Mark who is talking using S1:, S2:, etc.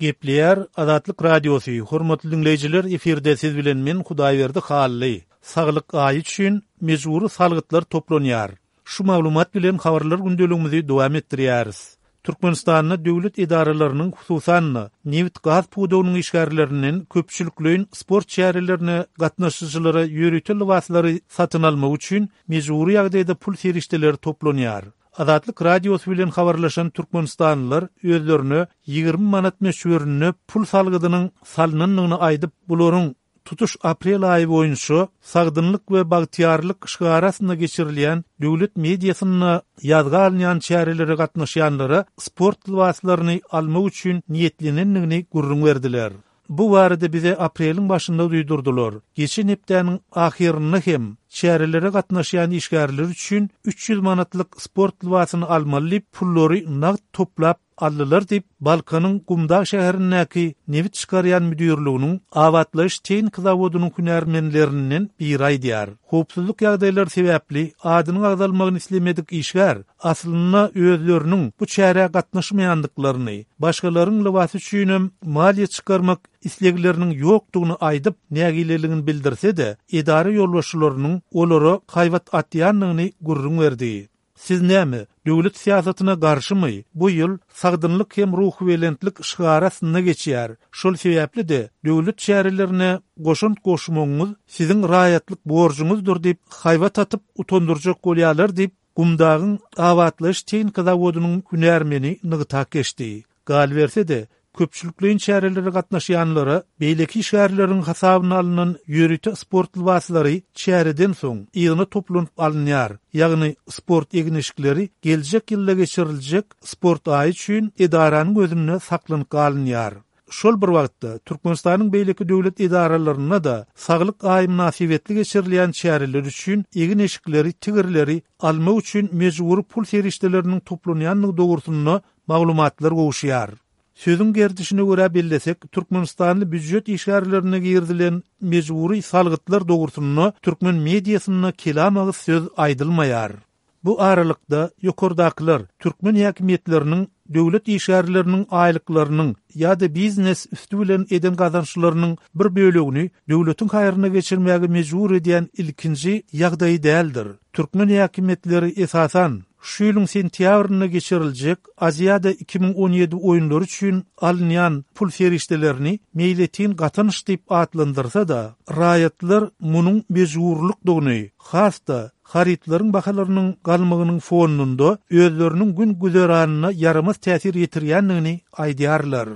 S1: Gepleýär Azatlyk Radiosy, Hormatly diňleýjiler, efirde siz bilen men Hudaýberdi Hally. Saglyk aýy üçin mejbury salgytlar toplanýar. Şu maglumat bilen habarlar gündeligimizi dowam etdirýäris. Türkmenistanda döwlet edaralarynyň, hususan-da, nebit-gaz pudagynyň işgärlerinden köpçülikleýin sport çärelerine gatnaşyjylara ýörite lybaslary satyn almak üçin mejbury ýagdaýda pul serişdeleri toplanýar. Azatlyk Radiosy bilen habarlaşan türkmenistanlylar özlerine 20 manat möçberinde pul salgydynyň salnandygyny aýdyp, bularyň tutuş aprel aýy boýunça Sagdynlyk we bagtyýarlyk şygary astynda geçirilýän döwlet mediasynda ýazga alynýan çärelere gatnaşýanlara sport lybaslaryny almak üçin niýetlenendigini gürrüň berdiler. Bu barada bize apreliň başynda duýdurdylar. Geçen hepdäniň ahyrynda hem çärelere gatnaşýan işgärler üçin 300 manatlyk sport lybasyny almaly diýip, pullary nagt toplap aldylar diýip, Balkanyň Gumdag şäherindäki nebit çykarýan müdirliginiň abatlaýyş tehniki zawodynyň hünärmenlerinden biri aýdýar. Howpsuzlyk ýagdaýlary sebäpli adynyň agzalmagyny islemedik işgär aslynda özleriniň bu çärä gatnaşmaýandyklaryny, başgalaryň lybasy üçinem maliýe çykarmak islegleriniň ýokdugyny aýdyp, nägileligini bildirse-de, edara ýolbaşçylarynyň olara haýbat atýandygyny gürrüň berdi. Siz näme, döwlet syýasatyna garşymy? Bu ýyl Sagdynlyk hem ruhubelentlik şygary astynda geçýär. Şol sebäpli-de, döwlet çärelerine goşant goşmagyňyz siziň raýatlyk borjuňyzdyr diýip, haýbat atyp, utandyrjak bolýarlar diýip, Gumdagyň abatlaýyş tehnika zawodynyň hünärmeni nygtap geçdi. Galyberse-de, köpçülikleýin çärelere gatnaşýanlara beýleki işgärleriň hasabyna alnan ýörite sport lybaslary çäreden soň yzyna toplanyp alynýar, ýagny sport egin-eşikleri geljek ýylda geçiriljek sport aýy üçin edaranyň özünde saklanyp galynýar. Şol bir wagtda, Türkmenistanyň beýleki döwlet edaralarynda-da Saglyk aýy mynasybetli geçirilýän çäreler üçin egin-eşikleri, tigirleri almak üçin mejbury pul serişdeleriniň toplanýandygy dogrusynda maglumatlar gowuşýar. Sözüň gerdişine görä bellesek, türkmenistanly býujet işgärlerine girizilen mejbury salgytlar dogrusynda türkmen mediasynda kelam agyz söz aýdylmaýar. Bu aralykda, ýokardakylar türkmen häkimiýetleriniň döwlet işgärleriniň aýlyklarynyň ýa-da biznes üsti bilen eden gazançlarynyň bir bölegini döwletiň haýryna geçirmäge mejbur edýän ilkinji ýagdaýy däldir. Türkmen häkimiýetleri esasan, şu ýylyň sentýabrynda geçiriljek Aziada 2017 oýunlary üçin alynýan pul serişdelerini meýletin gatanç diýip atlandyrsa-da, raýatlar munuň mejburlykdygyny, has-da, harytlaryň bahalarynyň galmagynyň fonunda özleriniň gün-güzeranyna ýaramaz täsir ýetirýändigini aýdýarlar.